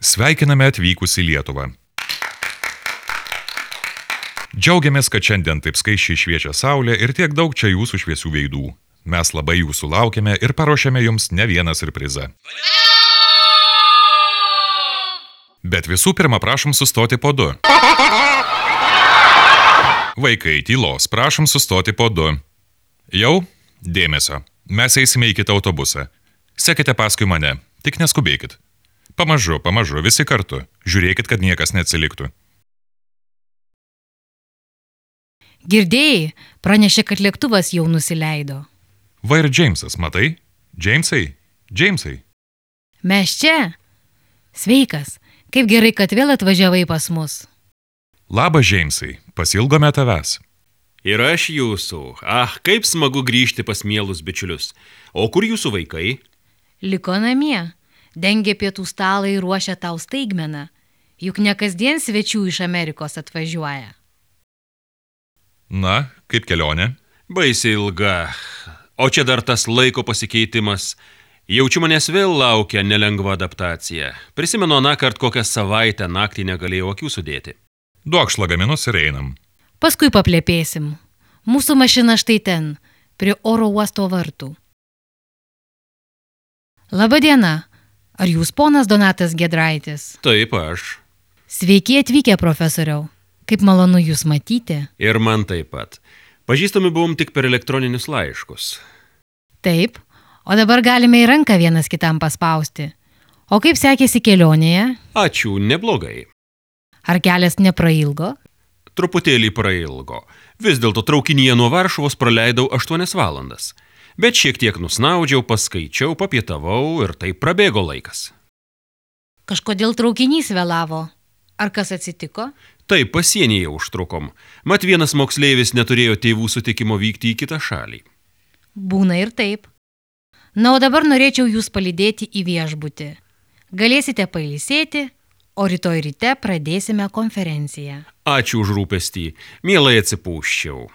Sveikiname atvykus į Lietuvą. Džiaugiamės, kad šiandien taip skaisčiai šviečia saulė ir tiek daug čia jūsų šviesių veidų. Mes labai jūsų laukiame ir paruošėme jums ne vieną siurprizą. Bet visų pirma, prašom sustoti po du. Vaikai, tylos, prašom sustoti po du. Jau? Dėmesio. Mes eisime į kitą autobusą. Sekite paskui mane, tik neskubėkit. Pamažu, visi kartu. Žiūrėkit, kad niekas neatsiliktų. Girdėjai, pranešė, kad lėktuvas jau nusileido. Va ir Džeimsas, matai? Džeimsai. Mes čia? Sveikas, kaip gerai, kad vėl atvažiavai pas mus. Labas, Džeimsai, pasilgome tavęs. Ir aš jūsų. Kaip smagu grįžti pas mielus bičiulius. O kur jūsų vaikai? Liko namie. Dengė pietų stalą ir ruošia tau staigmeną. Juk ne kasdien svečių iš Amerikos atvažiuoja. Na, kaip kelionė? Baisiai ilga. O čia dar tas laiko pasikeitimas. Jaučiu, manęs vėl laukia nelengva adaptacija. Prisimenu anąkart kokią savaitę naktį negalėjau akių sudėti. Duok lagaminus ir einam. Paskui paplepėsim. Mūsų mašina štai ten, prie oro uosto vartų. Labadiena. Ar jūs ponas Donatas Giedraitis? Taip, aš. Sveiki atvykę, profesoriau. Kaip malonu jūs matyti. Ir man taip pat. Pažįstami buvom tik per elektroninius laiškus. Taip, o dabar galime į ranką vienas kitam paspausti. O kaip sekėsi kelionėje? Ačiū, neblogai. Ar kelias neprailgo? Truputėlį prailgo. Vis dėlto traukinyje nuo Varšuvos praleidau 8 valandas. Bet šiek tiek nusnaudžiau, paskaičiau, papietavau ir taip prabėgo laikas. Kažkodėl traukinys vėlavo. Ar kas atsitiko? Taip, pasienyje užtrukom. Mat vienas moksleivis neturėjo tėvų sutikimo vykti į kitą šalį. Būna ir taip. Na, o dabar norėčiau jūs palydėti į viešbutį. Galėsite pailsėti, o rytoj ryte pradėsime konferenciją. Ačiū už rūpestį. Mielai atsipūsčiau.